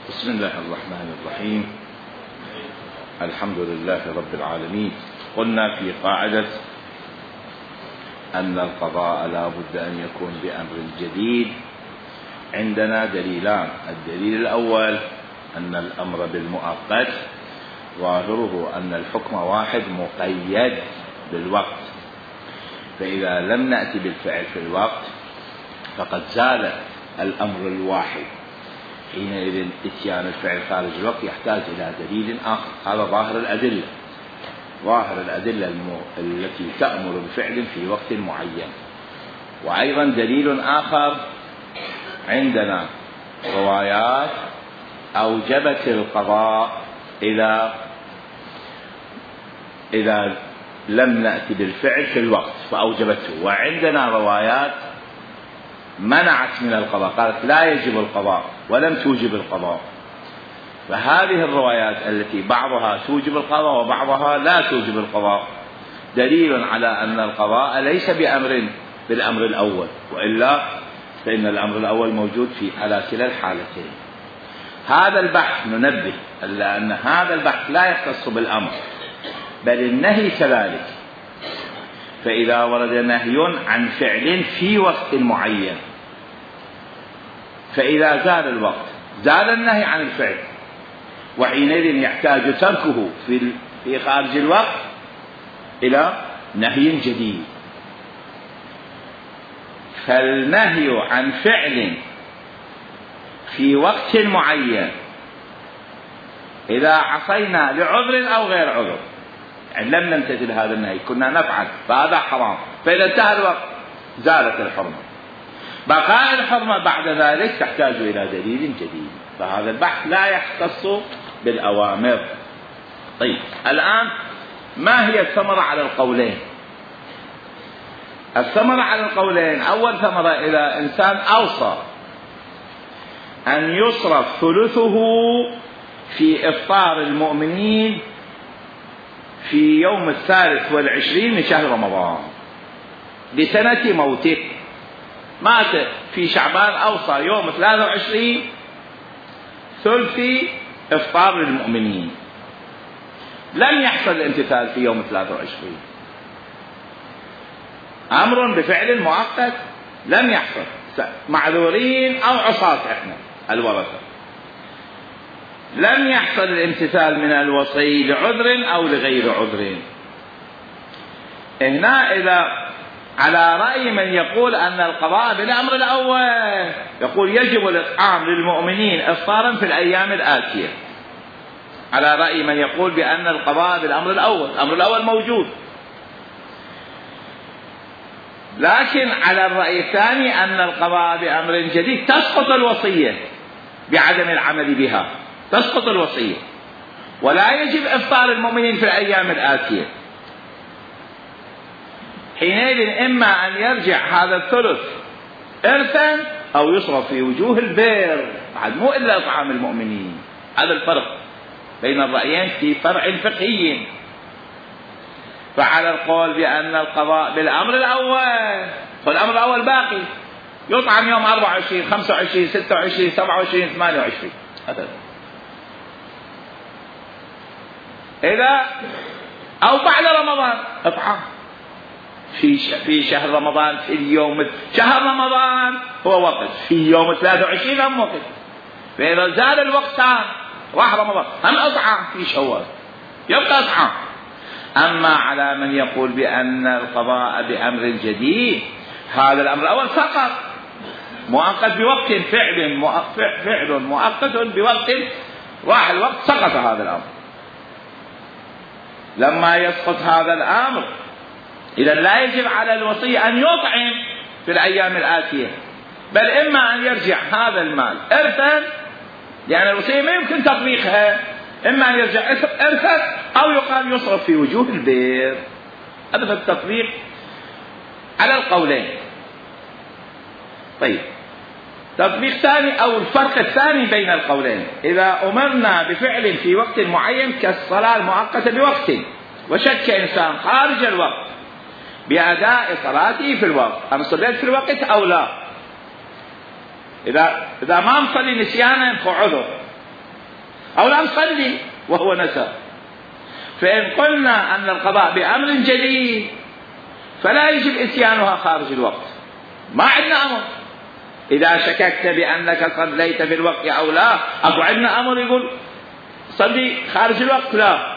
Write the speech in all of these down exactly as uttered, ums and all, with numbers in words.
بسم الله الرحمن الرحيم. الحمد لله رب العالمين. قلنا في قاعدة أن القضاء لا بد أن يكون بأمر جديد. عندنا دليلان: الدليل الأول أن الأمر بالمؤقت ظاهره أن الحكم واحد مقيد بالوقت، فإذا لم نأتي بالفعل في الوقت فقد زال الأمر الواحد، حينئذ اتيان الفعل خارج الوقت يحتاج إلى دليل آخر. هذا ظاهر الأدلة، ظاهر الأدلة التي تأمر بفعل في وقت معين. وأيضا دليل آخر: عندنا روايات أوجبت القضاء إذا إذا لم نأتي بالفعل في الوقت فأوجبته، وعندنا روايات منعت من القضاء، قالت لا يجب القضاء ولم توجب القضاء. فهذه الروايات التي بعضها توجب القضاء وبعضها لا توجب القضاء دليل على أن القضاء ليس بأمر بالأمر الأول، وإلا فإن الأمر الأول موجود في على كلا الحالتين. هذا البحث ننبه إلا أن هذا البحث لا يختص بالأمر بل النهي كذلك. فإذا ورد نهي عن فعل في وقت معين، فإذا زال الوقت زال النهي عن الفعل، وحينئذ يحتاج تركه في في خارج الوقت إلى نهي جديد. فالنهي عن فعل في وقت معين إذا عصينا لعذر أو غير عذر، يعني لم نمتثل هذا النهي كنا نفعل فهذا حرام، فإذا انتهى الوقت زالت الحرمة. بقاء الحرمة بعد ذلك تحتاج إلى دليل جديد. فهذا البحث لا يختص بالأوامر. طيب، الآن ما هي الثمرة على القولين؟ الثمرة على القولين: أول ثمرة، إذا إنسان أوصى أن يصرف ثلثه في إفطار المؤمنين في يوم الثالث والعشرين من شهر رمضان لسنة موته، مات في شعبان، أوصى يوم ثلاثة وعشرين ثلث إفطار للمؤمنين، لم يحصل الامتثال في يوم ثلاثة وعشرين، أمر بفعل مؤقت لم يحصل، معذورين أو عصاة إحنا الورثة، لم يحصل الامتثال من الوصي لعذر أو لغير عذر. هنا إذا على رأي من يقول أن القضاء بالأمر الأول، يقول يجب الإطعام للمؤمنين إفطارا في الأيام الآتية، على رأي من يقول بأن القضاء بالأمر الأول، الأمر الأول موجود. لكن على الرأي الثاني أن القضاء بأمر جديد تسقط الوصية بعدم العمل بها، تسقط الوصية، ولا يجب إفطار المؤمنين في الأيام الآتية. حينئذ إما أن يرجع هذا الثلث إرثا أو يصرف في وجوه البر، بعد مو إلا إطعام المؤمنين. هذا الفرق بين الرأيين في فرع فقهي. فعلى القول بأن القضاء بالأمر الأول، فالأمر الأول باقي، يطعم يوم أربعة وعشرين خمسة وعشرين ستة وعشرين سبعة وعشرين ثمانية وعشرين، هذا إذا أو بعد رمضان اطعام في في شهر رمضان، في اليوم شهر رمضان هو وقت، في يوم ثلاثة وعشرين هم وقت، فإذا زال الوقت راح رمضان هم اطعام في شوال، يبقى اطعام. أما على من يقول بأن القضاء بأمر جديد، هذا الأمر الأول فقط مؤقت بوقت، فعل فعل مؤقت بوقت، راح الوقت سقط هذا الأمر. لما يسقط هذا الأمر إذا لا يجب على الوصي أن يطعم في الأيام الآتية، بل إما أن يرجع هذا المال إرثا، لأن الوصية ما يمكن تطبيقها، إما أن يرجع إرثا أو يقال يصرف في وجوه البر. هذا في التطبيق على القولين. طيب، تطبيق ثاني أو الفرق الثاني بين القولين: إذا أمرنا بفعل في وقت معين كالصلاة المؤقتة بوقت، وشك إنسان خارج الوقت بأداء صلاته في الوقت، أنا صليت في الوقت أو لا، إذا إذا ما مصلي نسيانا فعذر، أو لا نصلي وهو نسى. فإن قلنا أن القضاء بأمر جديد فلا يجب إتيانها خارج الوقت، ما عندنا أمر. إذا شككت بأنك صليت في الوقت أو لا، أكو عندنا أمر يقول صلي خارج الوقت؟ لا.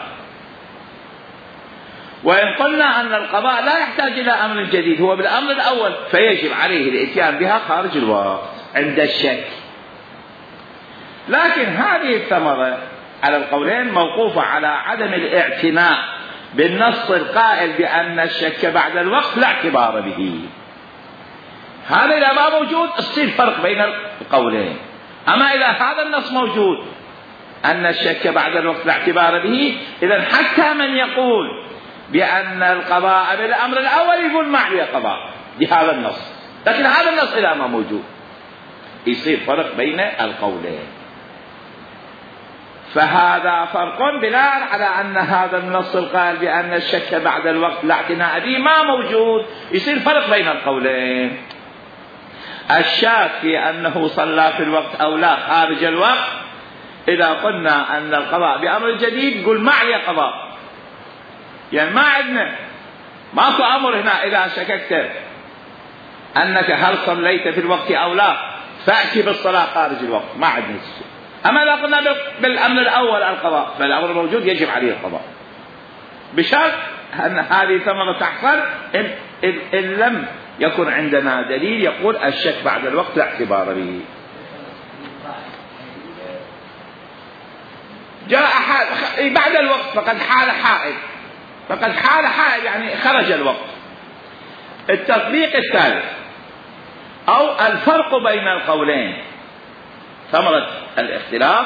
وإن قلنا أن القضاء لا يحتاج إلى أمر جديد، هو بالأمر الأول، فيجب عليه الإتيان بها خارج الوقت عند الشك. لكن هذه الثمرة على القولين موقوفة على عدم الاعتناء بالنص القائل بأن الشك بعد الوقت لا اعتبار به. هذا إذا ما موجود يصير فرق بين القولين. أما إذا هذا النص موجود أن الشك بعد الوقت لا اعتبار به، إذن حتى من يقول بأن القضاء بالأمر الأول يقول ما عليه قضاء بهذا النص. لكن هذا النص إذا ما موجود يصير فرق بين القولين. فهذا فرق بناء على أن هذا النص القائل بأن الشك بعد الوقت لا اعتناء به ما موجود، يصير فرق بين القولين. الشاك في أنه صلى في الوقت أو لا خارج الوقت، إذا قلنا أن القضاء بأمر جديد يقول ما عليه قضاء، يعني ما عندنا ماكو أمر هنا. إذا شككت أنك هل صليت في الوقت أو لا فأتي بالصلاة خارج الوقت، ما عندنا شيء. أما إذا قلنا بالأمر الأول القضاء فالأمر موجود يجب عليه القضاء، بشرط أن هذه ثمرة تحصل إن, إن, إن لم يكن عندنا دليل يقول الشك بعد الوقت لا اعتبار به. جاء حال بعد الوقت فقد حال حائل، فقد حال حائل يعني خرج الوقت. التطبيق الثالث أو الفرق بين القولين، ثمرة الاختلاف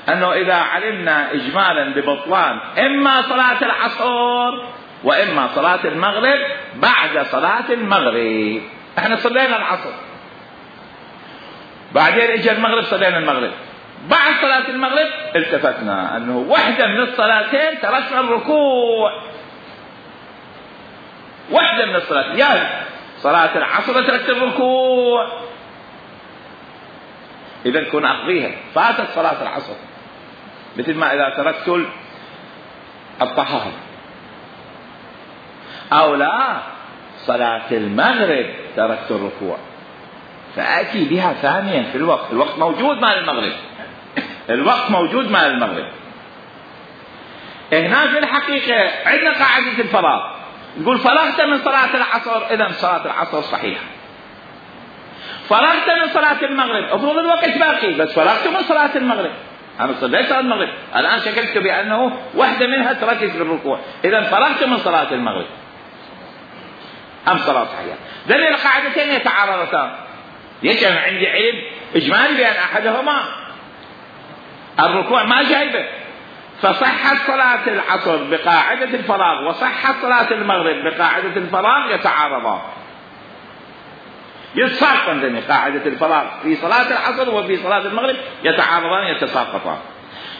أنه إذا علمنا إجمالا ببطلان إما صلاة العصر وإما صلاة المغرب بعد صلاة المغرب، احنا صلينا العصر بعدين اجى المغرب صلينا المغرب، بعد صلاة المغرب التفتنا أنه واحدة من الصلاتين تركنا الركوع، واحدة من الصلاتين، يعني صلاة العصر تركت الركوع، إذا كن أقضيها، فاتت صلاة العصر. مثل ما إذا تركت الطهارة، أو لا صلاة المغرب تركت الركوع فأتي بها ثانيا في الوقت، الوقت موجود مع المغرب، الوقت موجود مع المغرب. هنا في الحقيقة عندنا قاعدة الفراغ، نقول فرغت من صلاة العصر إذا صلاة العصر صحيحة، فرغت من صلاة المغرب افرض الوقت باقي بس فرغت من صلاة المغرب، أنا صليت صلاة المغرب الآن شككت بأنه واحدة منها تركت بالركوع، إذا فرغت من صلاة المغرب أم صلاة صحيحة. ذلك القاعدتين يتعارضتان، يجب عندي علم إجمالي بأن أحدهما الركوع ما جايبه، فصحت صلاة العصر بقاعدة الفراغ وصحت صلاة المغرب بقاعدة الفراغ يتعارضان، يتساقطان. قاعدة الفراغ في صلاة العصر وفي صلاة المغرب يتعارضان يتساقطان.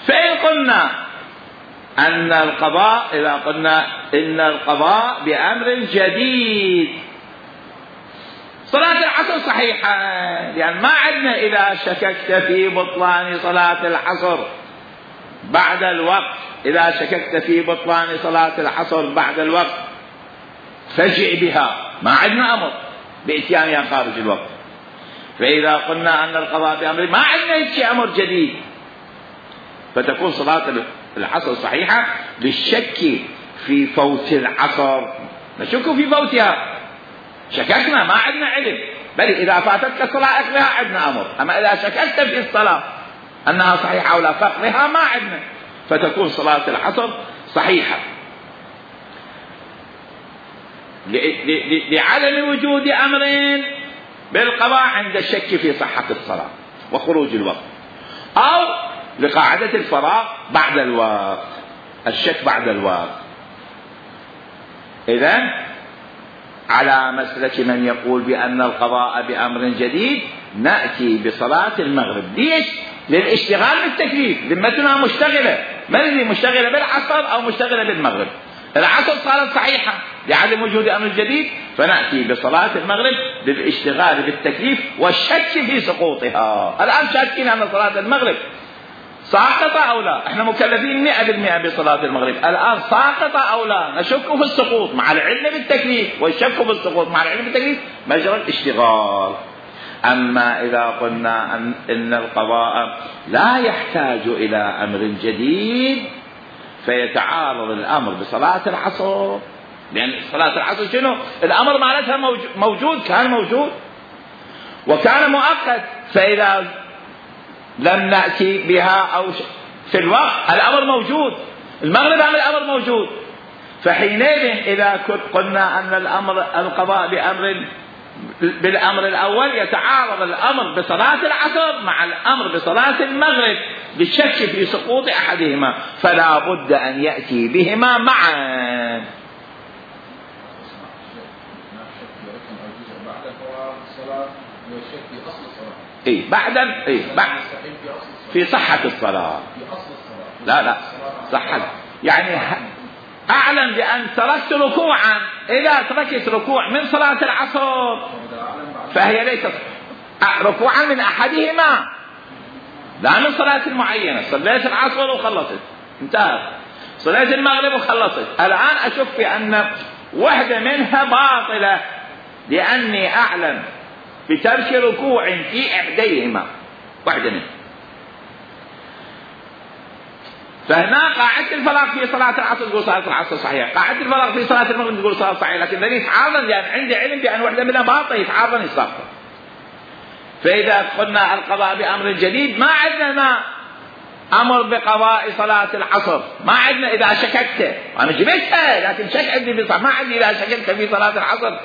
فإن قلنا أن القضاء، إذا قلنا إن القضاء بأمر جديد، صلاة العصر صحيحة، يعني ما عندنا إذا شككت في بطلان صلاة العصر بعد الوقت، إذا شككت في بطلان صلاة العصر بعد الوقت فاجع بها، ما عندنا أمر بإتيانها خارج الوقت. فإذا قلنا أن القضاء بأمر، ما عندنا شيء أمر جديد، فتكون صلاة العصر صحيحة للشك في فوت العصر، نشك في فوتها، شككنا ما عندنا علم، بل إذا فاتتك الصلاة أقضيها عندنا أمر. أما إذا شككت في الصلاة أنها صحيحة أو لا فاقضيها ما عندنا، فتكون صلاة العصر صحيحة لعدم وجود أمرين بالقضاء عند الشك في صحة الصلاة وخروج الوقت، أو لقاعدة الفراغ بعد الوقت، الشك بعد الوقت. إذن على مسلك من يقول بأن القضاء بأمر جديد نأتي بصلاة المغرب. ليش؟ للاشتغال بالتكليف، ذمتنا مشتغلة، من اللي مشتغلة بالعصر أو مشتغلة بالمغرب؟ العصر صارت صحيحة لعدم وجود أمر جديد، فنأتي بصلاة المغرب للاشتغال بالتكليف والشك في سقوطها. الآن شاكين أن صلاة المغرب ساقطة أو لا؟ احنا مكلفين مئة بالمئة بصلاة المغرب، الآن ساقطة أو لا؟ نشك في السقوط مع العلم بالتكليف، والشك في السقوط مع العلم بالتكليف مجرى الاشتغال. أما إذا قلنا أن إن القضاء لا يحتاج إلى أمر جديد فيتعارض الأمر بصلاة العصر، لأن صلاة العصر شنو؟ الأمر معناتها موجود، كان موجود وكان مؤقت، فإذا لم نأتي بها أو في الوقت الأمر موجود، المغرب الأمر موجود، فحينئذ إذا كنت قلنا أن الأمر القضاء بأمر بالأمر الأول يتعارض الأمر بصلاة العصر مع الأمر بصلاة المغرب بالشك في سقوط أحدهما، فلا بد أن يأتي بهما معا. إيه بعد إيه بعد في صحة الصلاة، لا لا صحة يعني أعلم بأن تركت ركوعا، إذا تركت ركوع من صلاة العصر فهي ليست ركوعا من أحدهما، لا من صلاة معينة. صليت العصر وخلصت انتهى، صليت المغرب وخلصت، الآن أشك بأن واحدة منها باطلة لأني أعلم بترك ركوع في إحديهما واحدة منها، فهنا قاعدة الفراغ في صلاة العصر تقول صلاة العصر صحيحة، قاعدة الفراغ في صلاة المغرب تقول صلاة صحيحة، لكن الذي يتعارض لأن عندي علم بأن واحدة منها باطل يتعارض يسقط. فإذا قلنا القضاء بأمر جديد ما عندنا أمر بقضاء صلاة العصر، ما عندنا إذا شككت أنا جبتها لكن شك عندي بصح ما عندي إذا شككت في صلاة العصر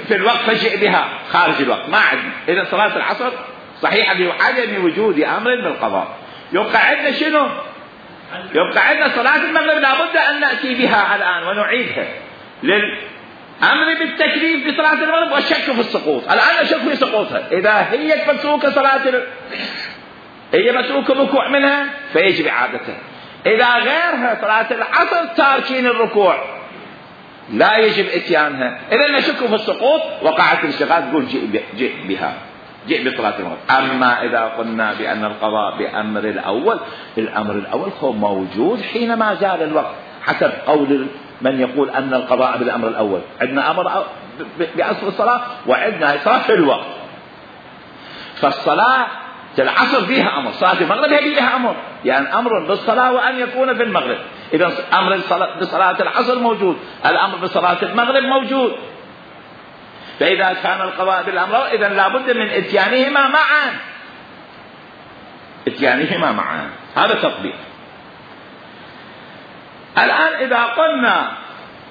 في الوقت فجئ بها خارج الوقت ما عندنا، إذا صلاة العصر صحيحة بعدم وجود أمر بالقضاء. يبقى عندنا شنو؟ يبقى عندنا صلاة المغرب لابد أن نأتي بها الآن ونعيدها للأمر بالتكليف بصلاة المغرب والشك في السقوط. الآن نشك في سقوطها، إذا هي مسروقة صلاة ال... هي مسروقة الركوع منها فيجب إعادتها، إذا غيرها صلاة العصر تاركين الركوع لا يجب إتيانها، إذا نشك في السقوط وقعت الاشتغال تقول جئ, جئ بها جئ بصلاة المغرب. أما إذا قلنا بأن القضاء بأمر الأول، الأمر الأول هو موجود حينما زال الوقت حسب قول من يقول أن القضاء بالأمر الأول، عندنا أمر بأصل الصلاة وعندنا إصرار في الوقت، فالصلاة العصر فيها أمر، صلاة المغرب هي فيها أمر، يعني أمر بالصلاة وأن يكون في المغرب، إذا أمر بصلاة العصر موجود، الأمر بصلاة المغرب موجود، فإذا كان القضاء بالأمر إذا لابد من إتيانهما معا، إتيانهما معا، هذا تطبيق. الآن إذا قلنا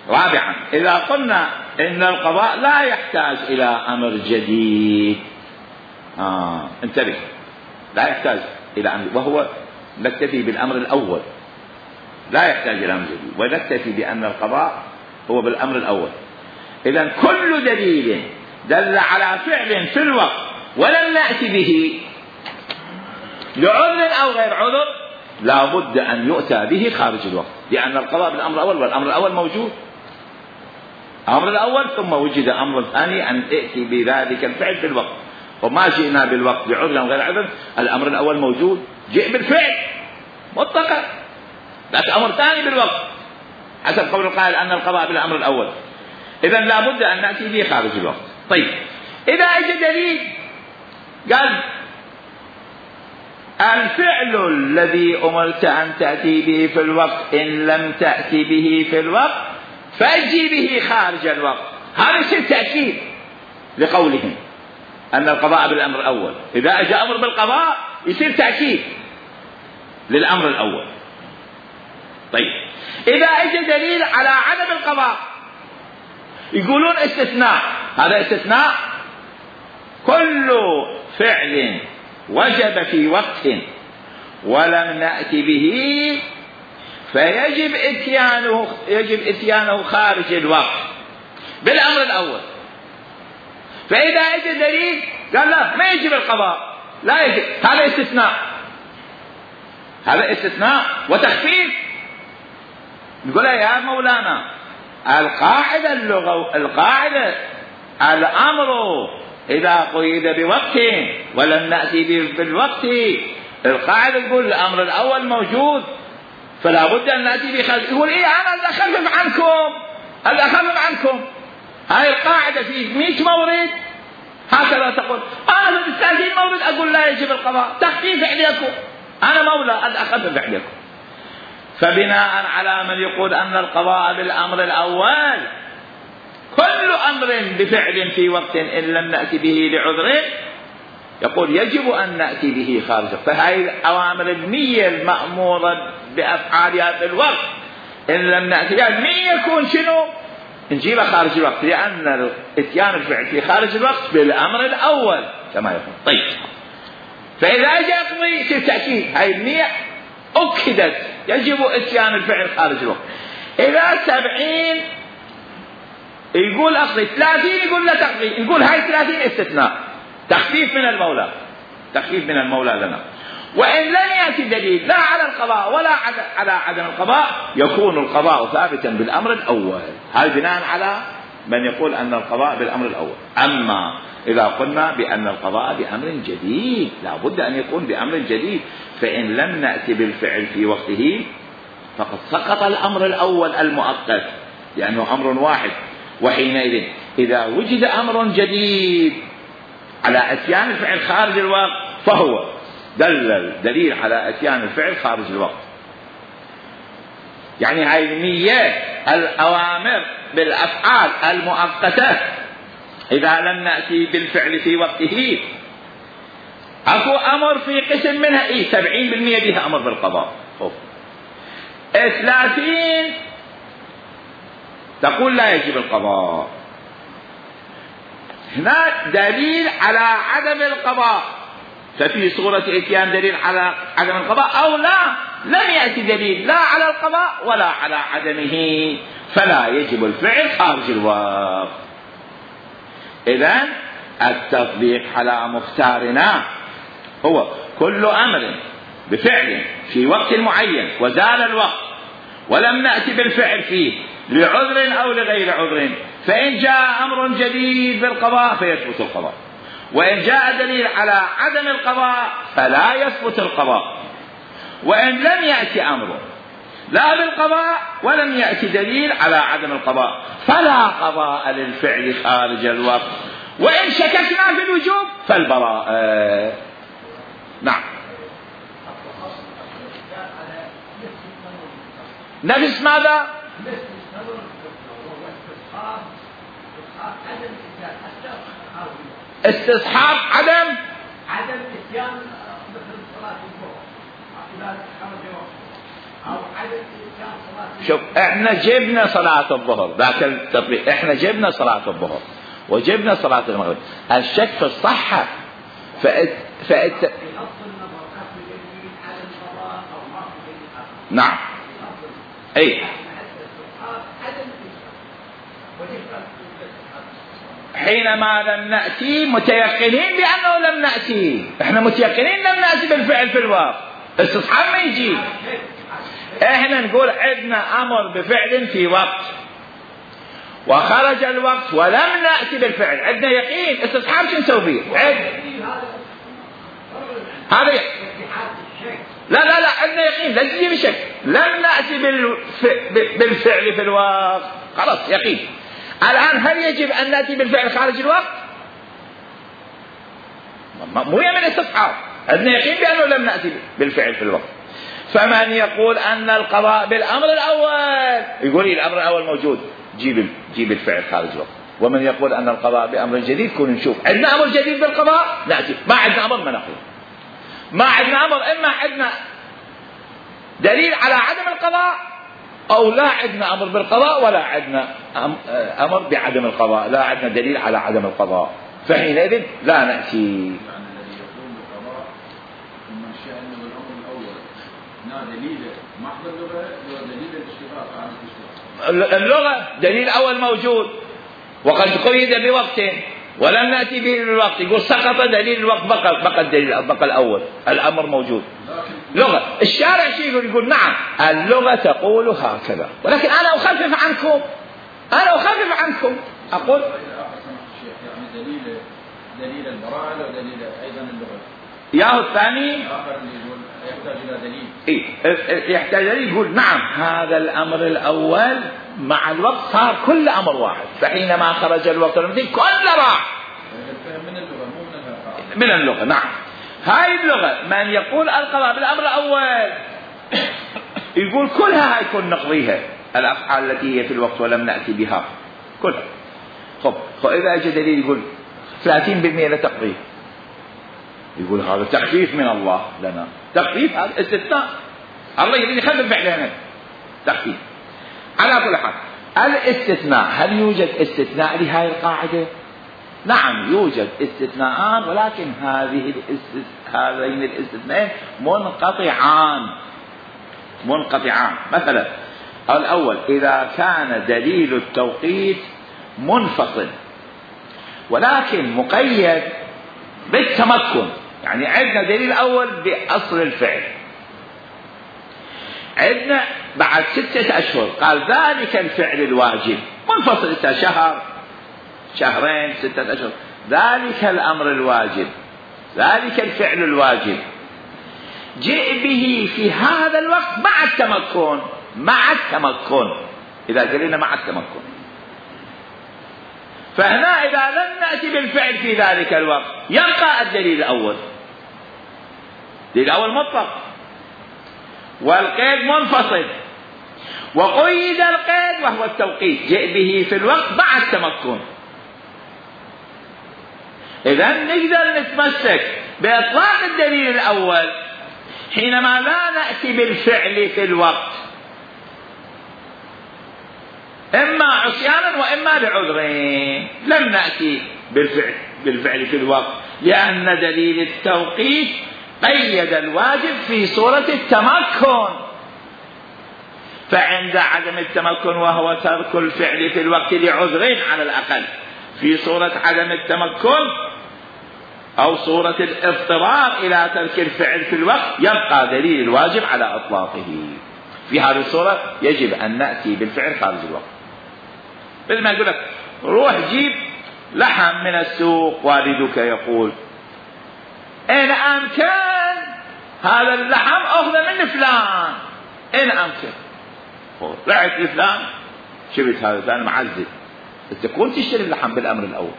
رابعا، إذا قلنا إن القضاء لا يحتاج إلى أمر جديد، آه انتبه، لا يحتاج إلى أمر، وهو نكتفي بالأمر الأول، لا يحتاج إلى أمر جديد، ونكتفي بأن القضاء هو بالأمر الأول. إذن كل دليل دل على فعل في الوقت ولم نأتي به لعذر أو غير عذر لا بد أن يؤتى به خارج الوقت، لأن القضاء بالأمر الأول والأمر الأول موجود، الأمر الأول ثم وجد أمر ثاني أن ائتي بذلك الفعل في الوقت، وما جئنا بالوقت بعذر أو غير عذر، الأمر الأول موجود جئ بالفعل مطلقا، لكن أمر ثاني بالوقت حسب قول القائل أن القضاء بالأمر الأول، إذن لا بد أن نأتي به خارج الوقت. طيب إذا أجى دليل قال الفعل الذي أمرت أن تأتي به في الوقت إن لم تأتي به في الوقت فأجي به خارج الوقت، هذا يصير تأكيد لقولهم أن القضاء بالأمر الأول، إذا أجى أمر بالقضاء يصير تأكيد للأمر الأول. طيب إذا أجى دليل على عدم القضاء يقولون استثناء، هذا استثناء كل فعل وجب في وقت ولم نأتي به فيجب اتيانه يجب اتيانه خارج الوقت بالأمر الأول. فإذا أجى دليل قال لا ما يجب القضاء لا يجب، هذا استثناء، هذا استثناء وتخفيف. نقول يا مولانا القاعدة اللغة القاعدة الأمر إذا قيد بوقت ولم نأتي بالوقت القاعدة تقول الأمر الأول موجود فلا بد أن نأتي بخلف. يقول إيه أنا أخفف عنكم أنا أخفف عنكم. هاي القاعدة في مئة مورد هكذا تقول. أنا في ثلاثين مورد أقول لا يجب القضاء، تخفيف عليكم، أنا مولى أنا أخفف عليكم. فبناء على من يقول أن القضاء بالأمر الأول كل أمر بفعل في وقت إن لم نأتي به لعذر يقول يجب أن نأتي به خارج. فهذه الأوامر المية المأمورة بأفعالها في الوقت إن لم نأتي بها المية يكون شنو؟ نجيبها خارج الوقت، لأن اتيان الفعل في خارج الوقت بالأمر الأول كما يقول. طيب فإذا جاء يقضي يصير تأكيد هاي المية أكدت يجب اتيان الفعل خارج الوقت. إذا سبعين يقول أقضي، ثلاثين يقول لا تقضي، نقول هاي ثلاثين استثناء تخفيف من المولى، تخفيف من المولى لنا. وإن لم يأتي دليل لا على القضاء ولا على عدم القضاء يكون القضاء ثابتا بالأمر الأول. هذا بناء على من يقول أن القضاء بالأمر الأول. أما إذا قلنا بأن القضاء بأمر جديد لا بد أن يكون بأمر جديد، فإن لم نأتي بالفعل في وقته فقد سقط الأمر الأول المؤقت لأنه أمر واحد. وحينئذ إذا وجد أمر جديد على أتيان الفعل خارج الوقت فهو دلل دليل على أتيان الفعل خارج الوقت. يعني هاي المية الأوامر بالأفعال المؤقتة إذا لم نأتي بالفعل في وقته أكو أمر في قسم منها إيه سبعين بالمئة بها أمر بالقضاء، ثلاثين تقول لا يجب القضاء. هنا دليل على عدم القضاء، ففي صورة اتيان دليل على عدم القضاء أو لا لم يأتي دليل لا على القضاء ولا على عدمه فلا يجب الفعل خارج الوقت. إذن التطبيق على مختارنا هو كل أمر بفعل في وقت معين وزال الوقت ولم نأتي بالفعل فيه لعذر أو لغير عذر، فإن جاء أمر جديد بالقضاء فيثبت القضاء، وإن جاء دليل على عدم القضاء فلا يثبت القضاء. وإن لم يأتي أمر لا بالقضاء ولم يأتي دليل على عدم القضاء فلا قضاء للفعل خارج الوقت، وإن شككنا في الوجوب فالبراءة. نعم نفس ماذا؟ استصحاب عدم عدم اتيان مثل صلاة الظهر أو عدم اتيان صلاة. شوف احنا جبنا صلاة الظهر ذاك التطبيق، احنا جبنا صلاة الظهر وجبنا صلاة المغرب، الشك في الصحة فأت فأت نعم اي حينما لم نأتي متيقنين بأنه لم نأتي، احنا متيقنين لم نأتي بالفعل في الوقت، استصحاب ما يجي. احنا نقول عندنا أمر بفعل في وقت وخرج الوقت ولم نأتي بالفعل، عندنا يقين، استصحاب شو نسوي فيه؟ هذا لا لا لا عندنا يقين لا تجي بشك، لم نأتي بالفعل في الوقت خلاص يقين. الآن هل يجب أن نأتي بالفعل خارج الوقت؟ مو يمن استصحاب، عندنا يقين بأنه لم نأتي بالفعل في الوقت. فمن يقول أن القضاء بالأمر الأول يقول لي الأمر الأول موجود جيب جيب الفعل خارج الوقت. ومن يقول أن القضاء بأمر جديد كون نشوف عندنا أمر جديد بالقضاء نأتي، ما عندنا أمر ما نقول، ما عندنا أمر إما عندنا دليل على عدم القضاء أو لا عندنا أمر بالقضاء ولا عندنا أمر بعدم القضاء، لا عندنا دليل على عدم القضاء، فحينئذ لا نأتي. اللغة دليل أول موجود وقد قيد بوقت ولم نأتي به بالوقت، يقول سقط دليل الوقت بقى بقى الدليل بقى الأول، الأمر موجود. لغة الشارع شيء يقول يقول نعم اللغة تقول هكذا، ولكن أنا أخفف عنكم، أنا أخفف عنكم أقول يعني دليل دليل البراءة ودليل أيضا اللغة ياهو الثاني يحتاج إلى دليل. إيه يحتاج دليل. يقول نعم هذا الأمر الأول مع الوقت صار كل أمر واحد، فحينما خرج الوقت المثل كله راح. من اللغة مو من الأفعال. من اللغة نعم. هاي اللغة من يقول القضاء بالأمر الأول يقول كلها هيكون نقضيها الأفعال التي هي في الوقت ولم نأتي بها كلها. خب فإذا أجى دليل يقول ثلاثين بالمئة لتقضيه، يقول هذا تخفيف من الله لنا. تخفيف هذا استثناء، الله يريد يخفف علينا تخفيف. على كل حال الاستثناء، هل يوجد استثناء لهذه القاعدة؟ نعم يوجد استثناءان، ولكن هذه هذين الاستثناءين منقطعان منقطعان. مثلا الأول إذا كان دليل التوقيت منفصل ولكن مقيد بالتمكن، يعني عندنا دليل أول بأصل الفعل، عندنا بعد ستة أشهر قال ذلك الفعل الواجب منفصل، شهر شهرين ستة أشهر، ذلك الأمر الواجب ذلك الفعل الواجب جئ به في هذا الوقت مع التمكن مع التمكن إذا قلنا مع التمكن. فهنا إذا لم نأتي بالفعل في ذلك الوقت يبقى الدليل الأول، الدليل الأول مطلق والقيد منفصل، وقيد القيد وهو التوقيت جئ به في الوقت مع التمكن. إذا نقدر نتمسك بإطلاق الدليل الأول حينما لا نأتي بالفعل في الوقت، إما عصيانا وإما لعذرين. لم نأتي بالفعل, بالفعل في الوقت لأن دليل التوقيت قيد الواجب في صورة التمكن، فعند عدم التمكن وهو ترك الفعل في الوقت لعذرين على الأقل، في صورة عدم التمكن أو صورة الاضطرار إلى ترك الفعل في الوقت يبقى دليل الواجب على إطلاقه. في هذه الصورة يجب أن نأتي بالفعل خارج الوقت. مثل ما يقول لك روح جيب لحم من السوق، والدك يقول إن أمكن هذا اللحم أخذ من فلان، إن أمكن رحت لفلان شبت هذا فلان معزز، تكون تشتري اللحم بالأمر الأول،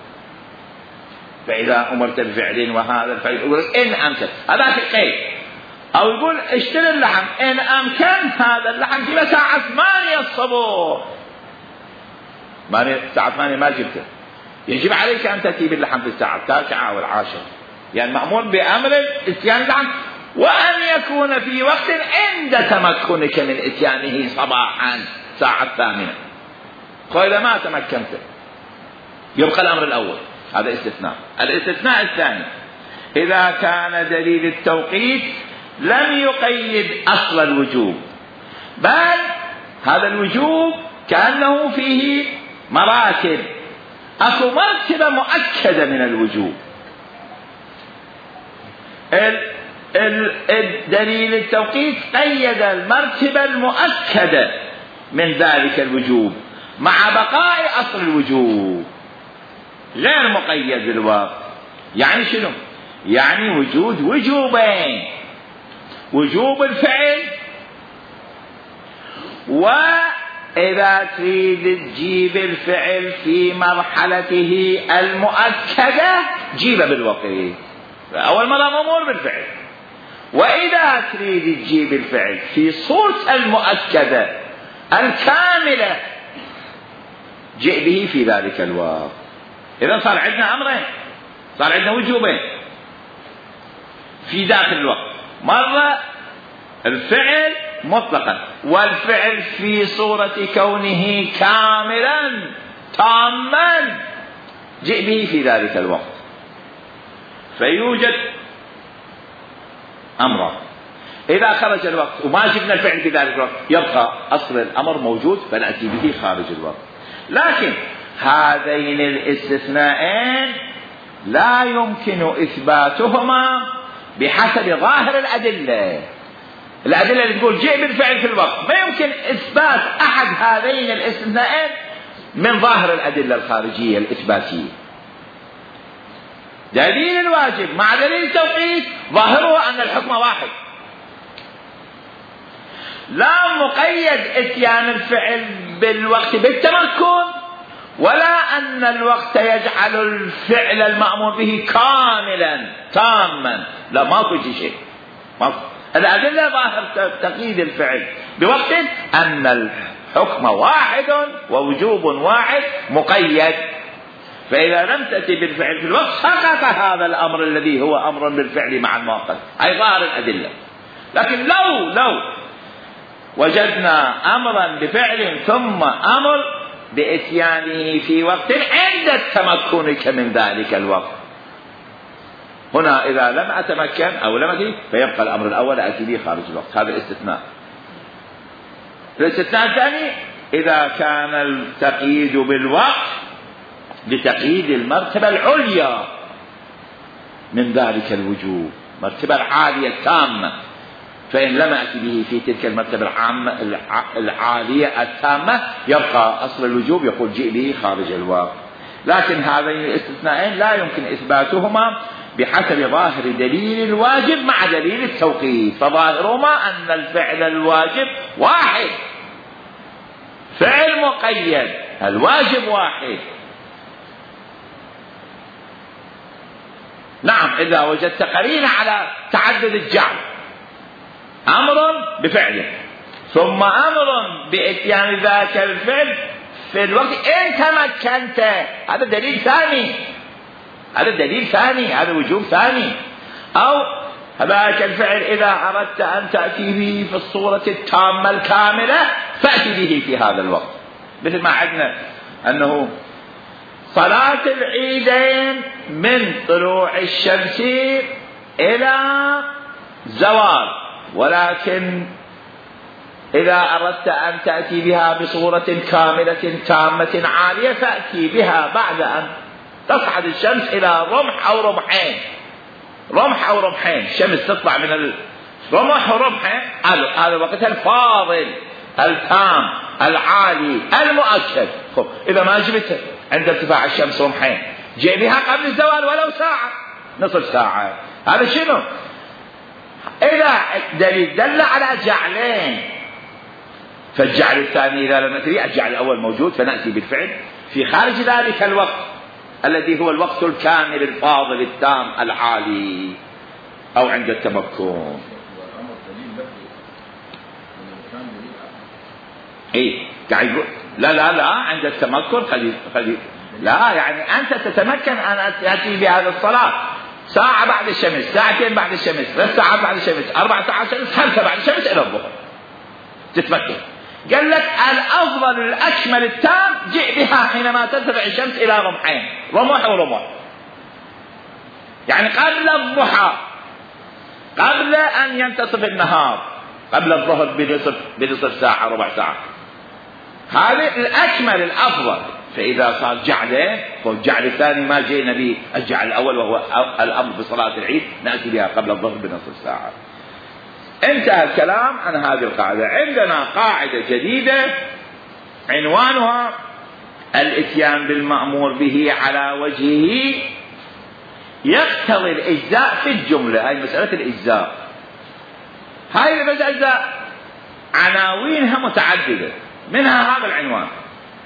فإذا أمرت بفعل وهذا الفعل يقول إن أمكن هذاك القيد، أو يقول اشتري اللحم إن أمكن هذا اللحم في ساعة ثمانية الصبح، ساعة ثمانية ما جبته، يجب عليك أن تأتي باللحم في الساعة التاسعة أو العاشرة، يعني مأمور بأمر إتيان اللحم، وأن يكون في وقت عند تمكنك من إتيانه صباحا ساعة الثامنة. فإذا ما تمكنت يبقى الأمر الأول، هذا استثناء. الاستثناء الثاني إذا كان دليل التوقيت لم يقيد أصل الوجوب، بل هذا الوجوب كأنه فيه مراتب، أكو مرتبة مؤكدة من الوجوب. الدليل التوقيت قيد المرتبة المؤكدة من ذلك الوجوب مع بقاء أصل الوجوب غير مقيد بالوقت. يعني شنو؟ يعني وجود وجوبين، وجوب الفعل، وإذا تريد تجيب الفعل في مرحلته المؤكدة جيبه بالوقت، أول مرة مأمور بالفعل، وإذا تريد تجيب الفعل في صورة المؤكدة الكاملة جئ به في ذلك الوقت. إذا صار عندنا أمرين، صار عندنا وجوبين في ذاك الوقت، مرة الفعل مطلقا، والفعل في صورة كونه كاملا تاما جئ به في ذلك الوقت. فيوجد أمر، إذا خرج الوقت وما جبنا الفعل في ذلك الوقت يبقى أصل الأمر موجود فنأتي به خارج الوقت. لكن هذين الاستثناءين لا يمكن إثباتهما بحسب ظاهر الأدلة. الأدلة اللي تقول جئ بالفعل في الوقت ما يمكن إثبات أحد هذين الاستثناءين من ظاهر الأدلة الخارجية الإثباتية. دليل الواجب مع دليل التوقيت ظاهره أن الحكم واحد، لا مقيد اتيان الفعل بالوقت بالتمكن، ولا أن الوقت يجعل الفعل المأمور به كاملا تاما، لا ماكو شيء. الأدلة ظاهر تقييد الفعل بوقت أن الحكم واحد ووجوب واحد مقيد، فإذا لم تأتي بالفعل في الوقت سقط هذا الأمر الذي هو أمر بالفعل مع المؤقت، أي ظاهر الأدلة. لكن لو لو وجدنا أمرا بفعل ثم أمر بإتيانه في وقت عند تمكنك من ذلك الوقت، هنا إذا لم أتمكن أو لم أتي فيبقى الأمر الأول أتي به خارج الوقت، هذا الاستثناء. الاستثناء الثاني إذا كان التقييد بالوقت لتقييد المرتبة العليا من ذلك الوجوب، مرتبة العالية التامة، فإن لم أتي به في تلك المرتبة العامة العالية التامة يبقى أصل الوجوب يقول جئ به خارج الوقت. لكن هذين الاستثناءين لا يمكن إثباتهما بحسب ظاهر دليل الواجب مع دليل التوقيت، فظاهرهما أن الفعل الواجب واحد، فعل مقيد، الواجب واحد. نعم إذا وجدت قرينة على تعدد الجعل، أمر بفعله ثم أمر بإتيان ذاك الفعل في الوقت إن تمكنت، هذا دليل ثاني، هذا دليل ثاني، هذا وجوب ثاني. أو ذاك الفعل إذا أردت أن تأتي به في الصورة التامة الكاملة فأتي به في هذا الوقت، مثل ما عندنا أنه صلاة العيدين من طلوع الشمس إلى زوال، ولكن إذا أردت أن تأتي بها بصورة كاملة تامة عالية فأتي بها بعد أن تصعد الشمس إلى رمح أو رمحين، رمح أو رمحين، الشمس تطلع من الرمح ورمحين، هذا وقتها الفاضل التام العالي المؤكد. خب إذا ما جبت عند ارتفاع الشمس رمحين جاء بها قبل الزوال ولو ساعة نصف ساعة، هذا شنو؟ إذا دليل دل على جعلين، فالجعل الثاني إذا لم نتري الجعل الأول موجود فنأتي بالفعل في خارج ذلك الوقت الذي هو الوقت الكامل الفاضل التام العالي أو عند التمكن. إيه قاعد لا لا لا عند التمكن خلي خلي لا، يعني أنت تتمكن أن تأتي بهذا الصلاة ساعة بعد الشمس، ساعتين بعد الشمس، ثلاث ساعات بعد الشمس، أربع ساعات شمس، خمسة بعد الشمس إلى الظهر تتمكن. قال لك الأفضل الأكمل التام جئ بها حينما ترتفع الشمس إلى رمحين، رمح ورمح، يعني قبل الضحى، قبل أن ينتصف النهار، قبل الظهر بنصف بنصف ساعة ربع ساعة، هذا الأكمل الأفضل. فإذا صار جعلين فالجعل الثاني ما جئنا به الجعل الأول وهو الأمر بصلاة العيد نأتي بها قبل الظهر بنصف ساعة. انتهى الكلام عن هذه القاعدة. عندنا قاعدة جديدة عنوانها الإتيان بالمأمور به على وجهه يقتضي الإجزاء في الجملة. هاي مسألة الإجزاء، هاي المسألة عناوينها متعددة، منها هذا العنوان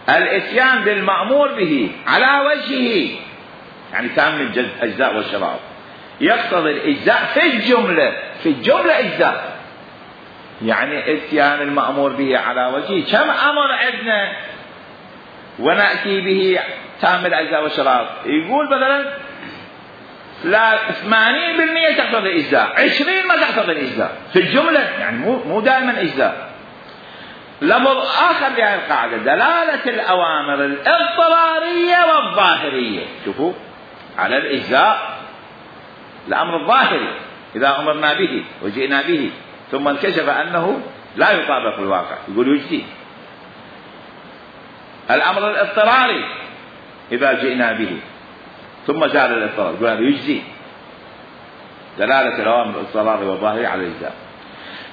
الإتيان بالمأمور به على وجهه، يعني كامل الأجزاء والشرائط، يقتضي الإجزاء في الجملة، في الجملة إجزاء، يعني إتيان المأمور به على وجهه. كم أمر عندنا ونأتي به تام الأجزاء والشرائط؟ يقول مثلا لا ثمانين بالمئة تقتضي الإجزاء، عشرين ما تقتضي الإجزاء في الجملة، يعني مو مو دائما إجزاء. لفظ آخر لهذه القاعدة دلالة الأوامر الاضطرارية والظاهرية. شوفوا على الإجزاء الأمر الظاهري إذا أمرنا به وجئنا به ثم انكشف أنه لا يطابق الواقع يقول يجزي. الأمر الاضطراري إذا جئنا به ثم زال الاضطرار يقول هذا يجزي. دلالة الأوامر الاضطرارية والظاهرية على الإجزاء.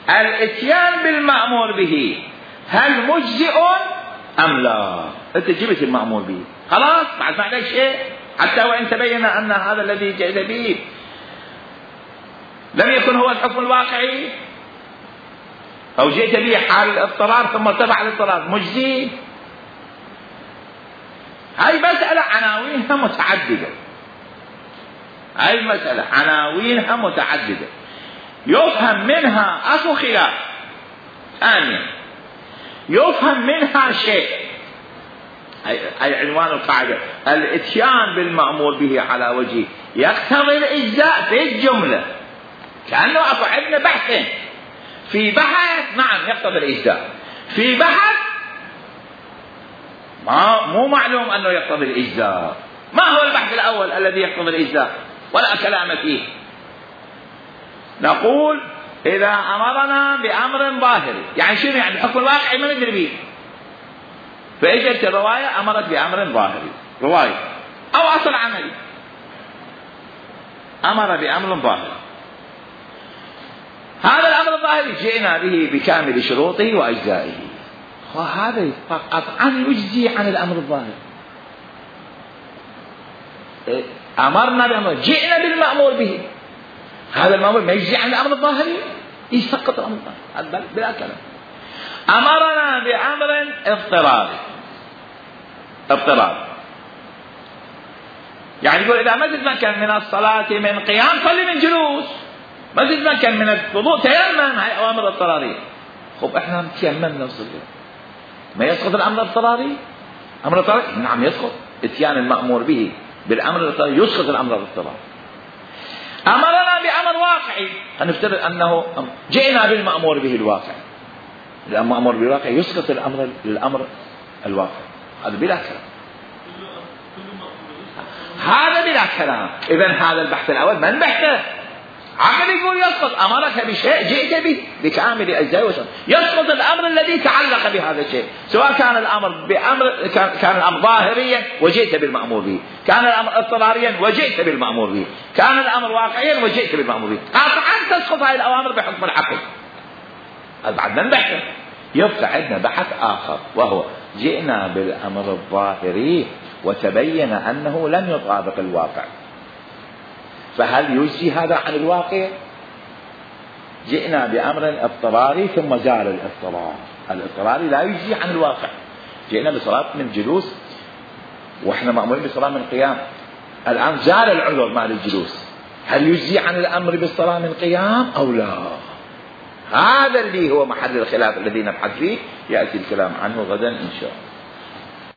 الإتيان بالمأمور به هل مجزئ أم لا؟ أنت جبت المأمور به خلاص بعد ما عليك شيء حتى وإن تبين أن هذا الذي جئت به لم يكن هو الحكم الواقعي أو جئت به حال الاضطرار ثم ارتفع الاضطرار مجزي. هاي مسألة عناوينها متعددة، هاي المسألة عناوينها متعددة يفهم منها أخو خلاف. ثانيا يفهم منها شيء، أي عنوان القاعدة، الاتيان بالمأمور به على وجه يقتضي الإجزاء في الجملة، كأنه أكو عندنا بحثين، في بحث نعم يقتضي الإجزاء، في بحث ما مو معلوم أنه يقتضي الإجزاء. ما هو البحث الأول الذي يقتضي الإجزاء ولا كلام فيه؟ نقول إذا أمرنا بأمر ظاهري، يعني شنو يعني الحكم الواقعي ما ندري به، فإجت الرواية أمرت بأمر ظاهري، رواية أو أصل عملي أمر بأمر ظاهري، هذا الأمر الظاهري جئنا به بكامل شروطه وأجزائه، وهذا قطعا يجزي عن الأمر الظاهري. أمرنا بأمر، جئنا بالمأمور به، هذا المأمور ما يجزي عن الأمر الظاهري، يسقط الأمر الظاهري بلا كلام. أمرنا بأمر اضطراري، اضطراري يعني يقول إذا ما زد مكان من الصلاة من قيام صلي من جلوس، ما زد مكان من الوضوء تيمم، هاي أوامر اضطرارية. خب إحنا تيممنا وصلي، ما يسقط الأمر الاضطراري؟ أمر الاضطراري نعم يسقط، اتيان المأمور به بالأمر الاضطراري يسقط الأمر الاضطراري. أمرنا بأمر واقعي، هنفترض أنه جئنا بالمأمور به الواقع، المأمور بالواقع يسقط الأمر الأمر الواقع، هذا بلا كلام، هذا بلا كلام. إذن هذا البحث الأول من بحثه؟ عقل يقول يسقط، أمرك بشيء جئت به بكامل أجزائه وشرطه، يسقط الأمر الذي تعلق بهذا الشيء، سواء كان الأمر بأمر كان, كان الأمر ظاهريا وجئت بالمأمور به، كان الأمر اضطراريا وجئت بالمأمور به، كان الأمر واقعيا وجئت بالمأمور به، قطعا تسقط هذه الأوامر بحكم العقل. هذا بعد من بحثه. يبقى عندنا بحث آخر وهو جئنا بالأمر الظاهري وتبين أنه لم يطابق الواقع، فهل يجزي هذا عن الواقع؟ جئنا بأمر اضطراري ثم زال الاضطرار، الاضطراري لا يجزي عن الواقع. جئنا بصلاة من جلوس وإحنا مأمورين بصلاة من قيام، الآن زال العذر مال الجلوس، هل يجزي عن الأمر بالصلاة من قيام أو لا؟ هذا اللي هو محل الخلاف الذي نبحث فيه، يأتي الكلام عنه غدا إن شاء الله.